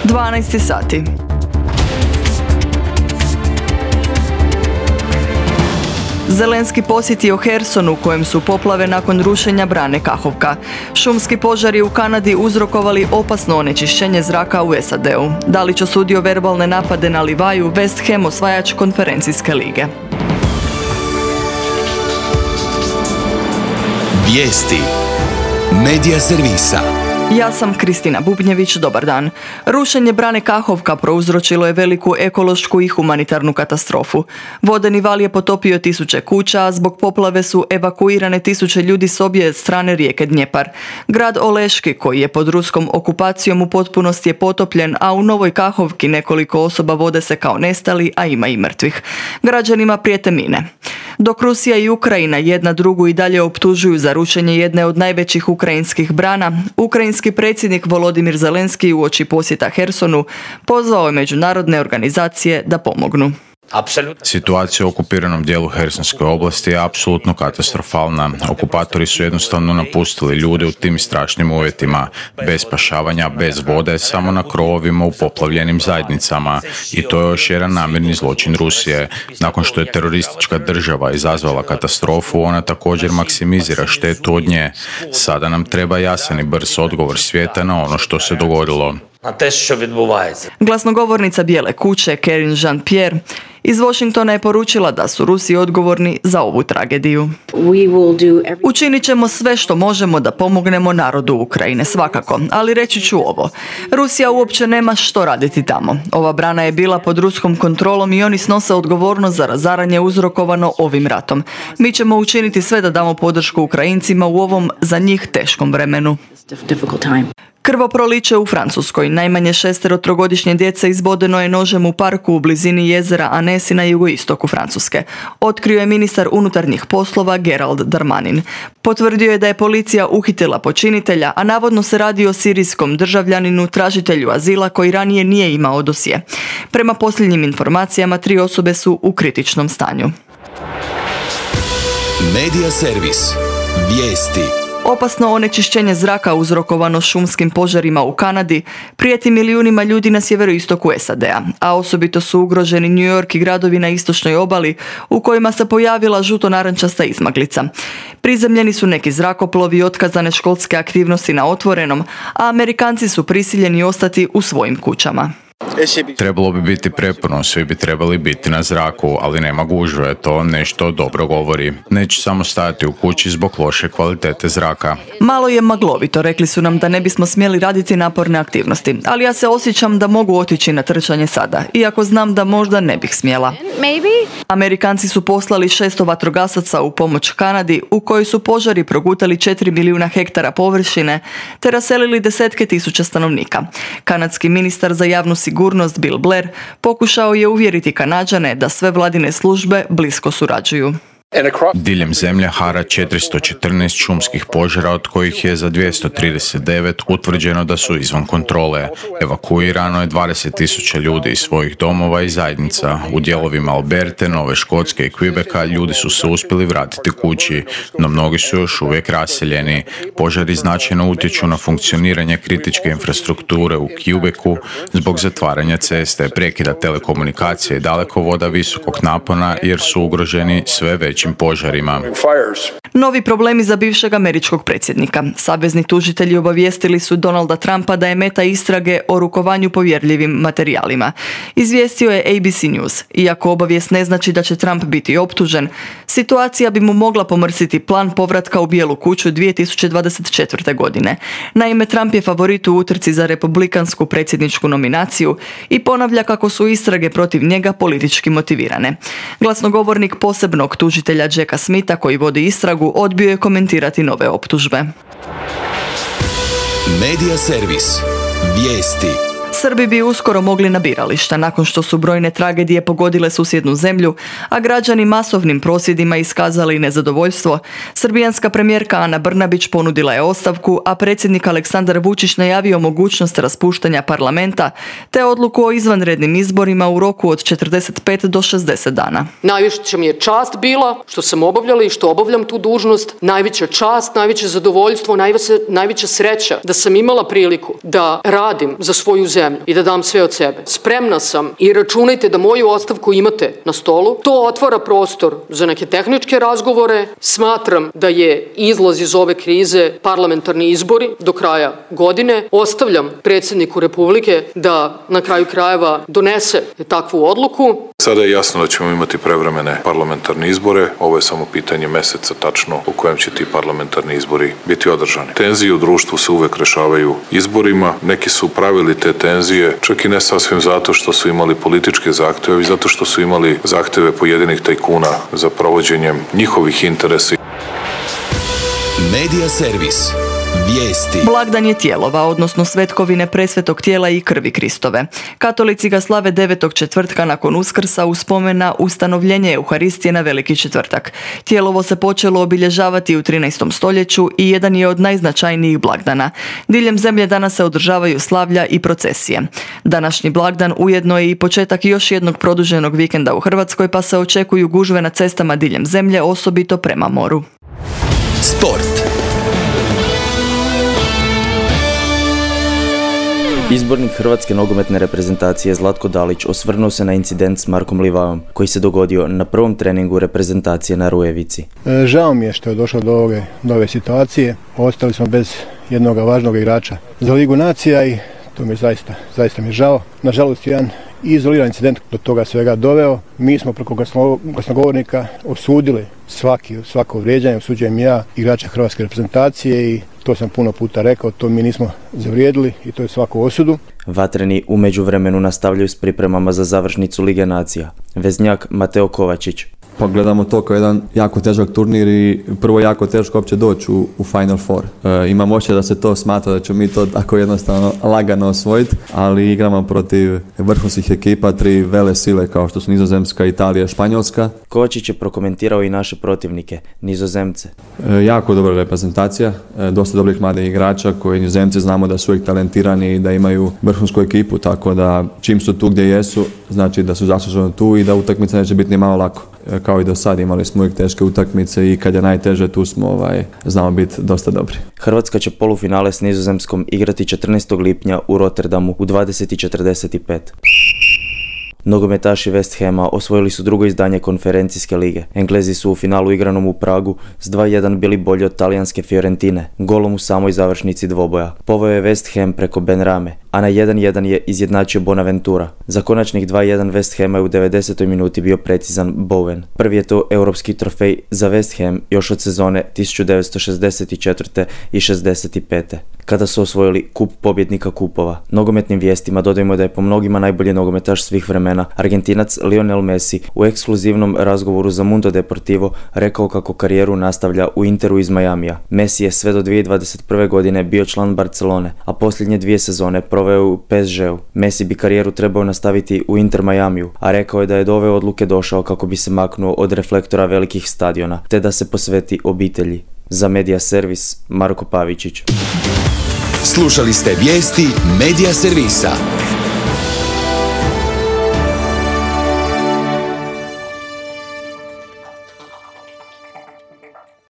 12 sati. Zelenski posjetio Herson u kojem su poplave nakon rušenja brane Kahovka. Šumski požari u Kanadi uzrokovali opasno onečišćenje zraka u SAD-u. Dalić osudio verbalne napade na Livaju, West Ham osvajač konferencijske lige. Vijesti Medija servisa. Ja sam Kristina Bubnjević, dobar dan. Rušenje brane Kahovka prouzročilo je veliku ekološku i humanitarnu katastrofu. Vodeni val je potopio tisuće kuća, a zbog poplave su evakuirane tisuće ljudi s obje strane rijeke Dnjepar. Grad Oleški, koji je pod ruskom okupacijom, u potpunosti je potopljen, a u Novoj Kahovki nekoliko osoba vode se kao nestali, a ima i mrtvih. Građanima prijete mine. Dok Rusija i Ukrajina jedna drugu i dalje optužuju za rušenje jedne od najvećih ukrajinskih brana, ukrajinski predsjednik Volodimir Zelenski uoči posjeta Hersonu pozvao je međunarodne organizacije da pomognu. Situacija u okupiranom dijelu Hersonske oblasti je apsolutno katastrofalna. Okupatori su jednostavno napustili ljude u tim strašnim uvjetima, bez spašavanja, bez vode, samo na krovovima u poplavljenim zajednicama. I to je još jedan namjerni zločin Rusije. Nakon što je teroristička država izazvala katastrofu, ona također maksimizira štetu od nje. Sada nam treba jasan i brz odgovor svijeta na ono što se dogodilo. Glasnogovornica Bijele kuće Karine Jean-Pierre iz Washingtona je poručila da su Rusi odgovorni za ovu tragediju. Učinit ćemo sve što možemo da pomognemo narodu Ukrajine, svakako, ali reći ću ovo. Rusija uopće nema što raditi tamo. Ova brana je bila pod ruskom kontrolom i oni snose odgovornost za razaranje uzrokovano ovim ratom. Mi ćemo učiniti sve da damo podršku Ukrajincima u ovom za njih teškom vremenu. Krvoproliće u Francuskoj. Najmanje 6 trogodišnje djece izbodeno je nožem u parku u blizini jezera Annecy na jugoistoku Francuske. Otkrio je ministar unutarnjih poslova Gerald Darmanin. Potvrdio je da je policija uhitila počinitelja, a navodno se radi o sirijskom državljaninu, tražitelju azila koji ranije nije imao dosje. Prema posljednjim informacijama 3 osobe su u kritičnom stanju. Medija servis. Vijesti. Opasno onečišćenje zraka uzrokovano šumskim požarima u Kanadi prijeti milijunima ljudi na sjeveroistoku SAD-a, a osobito su ugroženi New York i gradovi na istočnoj obali u kojima se pojavila žuto-narančasta izmaglica. Prizemljeni su neki zrakoplovi i otkazane školske aktivnosti na otvorenom, a Amerikanci su prisiljeni ostati u svojim kućama. Trebalo bi biti prepuno, svi bi trebali biti na zraku, ali nema gužve, to nešto dobro govori. Neću samo stajati u kući zbog loše kvalitete zraka. Malo je maglovito, rekli su nam da ne bismo smjeli raditi naporne aktivnosti, ali ja se osjećam da mogu otići na trčanje sada, iako znam da možda ne bih smjela. Amerikanci su poslali 600 vatrogasaca u pomoć Kanadi, u kojoj su požari progutali 4 milijuna hektara površine, te raselili desetke tisuća stanovnika. Kanadski ministar za javnu sigurnost Bill Blair pokušao je uvjeriti Kanađane da sve vladine službe blisko surađuju. Diljem zemlje hara 414 šumskih požara, od kojih je za 239 utvrđeno da su izvan kontrole. Evakuirano je 20.000 ljudi iz svojih domova i zajednica. U dijelovima Alberte, Nove Škotske i Quebeca ljudi su se uspjeli vratiti kući, no mnogi su još uvijek raseljeni. Požari značajno utječu na funkcioniranje kritičke infrastrukture u Quebecu zbog zatvaranja ceste, prekida telekomunikacije i dalekovoda visokog napona jer su ugroženi sve većim požarima. Novi problemi za bivšeg američkog predsjednika. Savezni tužitelji obavijestili su Donalda Trumpa da je meta istrage o rukovanju povjerljivim materijalima. Izvijestio je ABC News. Iako obavijest ne znači da će Trump biti optužen, situacija bi mu mogla pomrsiti plan povratka u Bijelu kuću 2024. godine. Naime, Trump je favorit u utrci za republikansku predsjedničku nominaciju i ponavlja kako su istrage protiv njega politički motivirane. Glasnogovornik posebnog tužitelja Jacka Smitha, koji vodi istragu, odbio je komentirati nove optužbe. Medija servis. Vijesti. Srbi bi uskoro mogli na birališta nakon što su brojne tragedije pogodile susjednu zemlju, a građani masovnim prosvjedima iskazali nezadovoljstvo. Srbijanska premijerka Ana Brnabić ponudila je ostavku, a predsjednik Aleksandar Vučić najavio mogućnost raspuštanja parlamenta te odluku o izvanrednim izborima u roku od 45 do 60 dana. Najveća mi je čast bila što sam obavljala i što obavljam tu dužnost. Najveća čast, najveće zadovoljstvo, najveća sreća da sam imala priliku da radim za svoju zemlju. zemlju i da dam sve od sebe. Spremna sam i računajte da moju ostavku imate na stolu. To otvara prostor za neke tehničke razgovore. Smatram da je izlaz iz ove krize parlamentarni izbori do kraja godine. Ostavljam predsjedniku Republike da na kraju krajeva donese takvu odluku. Sada je jasno da ćemo imati prevremene parlamentarne izbore. Ovo je samo pitanje meseca tačno u kojem će ti parlamentarni izbori biti održani. Tenzije u društvu se uvek rešavaju izborima. Neki su pravili te tenzije, čak i ne sasvim zato što su imali političke zahteve, već zato što su imali zahteve pojedinih tajkuna za provođenjem njihovih interesa. Medija servis. Vijesti. Blagdan je tijelova, odnosno svetkovine presvetog tijela i krvi Kristove. Katolici ga slave 9. četvrtka nakon Uskrsa u spomen na ustanovljenje Euharistije na Veliki četvrtak. Tijelovo se počelo obilježavati u 13. stoljeću i jedan je od najznačajnijih blagdana. Diljem zemlje danas se održavaju slavlja i procesije. Današnji blagdan ujedno je i početak još jednog produženog vikenda u Hrvatskoj, pa se očekuju gužve na cestama diljem zemlje, osobito prema moru. Sport. Izbornik hrvatske nogometne reprezentacije Zlatko Dalić osvrnuo se na incident s Markom Livaom koji se dogodio na prvom treningu reprezentacije na Rujevici. Žao mi je što je došlo do ove situacije. Ostali smo bez jednog važnog igrača za Ligu nacija i to mi je zaista mi je žao. Nažalost, jedan izoliran incident do toga svega doveo. Mi smo preko glasnogovornika osudili svako vrijeđanje, osuđujem ja, igrača hrvatske reprezentacije i to sam puno puta rekao, to mi nismo zavrijedili i to je svaku osudu. Vatreni u međuvremenu nastavljaju s pripremama za završnicu Lige nacija. Veznjak Mateo Kovačić. Pa gledamo to kao jedan jako težak turnir i prvo jako teško uopće doći u Final Four. Imam osjećaj da se to smatra da ćemo mi to tako jednostavno lagano osvojiti, ali igramo protiv vrhunskih ekipa, 3 vele sile kao što su Nizozemska, Italija i Španjolska. Kovačić je prokomentirao i naše protivnike, Nizozemce. Jako dobra reprezentacija, dosta dobrih mladih igrača koji Nizozemci znamo da su uvijek talentirani i da imaju vrhunsku ekipu, tako da čim su tu gdje jesu, znači da su zasluženo tu i da utakmica neće biti ni malo lako. Kao i do sad imali smo uvijek teške utakmice i kad je najteže tu smo znamo biti dosta dobri. Hrvatska će polufinale s Nizozemskom igrati 14. lipnja u Rotterdamu u 20:45. Nogometaši West Hama osvojili su drugo izdanje konferencijske lige. Englezi su u finalu igranom u Pragu s 2:1 bili bolji od talijanske Fiorentine, golom u samoj završnici dvoboja. Poveo je West Ham preko Benrame, a na 1:1 je izjednačio Bonaventura. Za konačnih 2:1 West Hama je u 90. minuti bio precizan Bowen. Prvi je to europski trofej za West Ham još od sezone 1964. i 65. kada su osvojili kup pobjednika kupova. Nogometnim vijestima dodajemo da je po mnogima najbolji nogometaš svih vremena Argentinac Lionel Messi u ekskluzivnom razgovoru za Mundo Deportivo rekao kako karijeru nastavlja u Interu iz Majamija. Messi je sve do 2021. godine bio član Barcelone, a posljednje 2 sezone proveo u PSG-u. Messi bi karijeru trebao nastaviti u Inter Majamiju, a rekao je da je do ove odluke došao kako bi se maknuo od reflektora velikih stadiona, te da se posveti obitelji. Za Medija servis, Marko Pavičić. Slušali ste vijesti Medija servisa.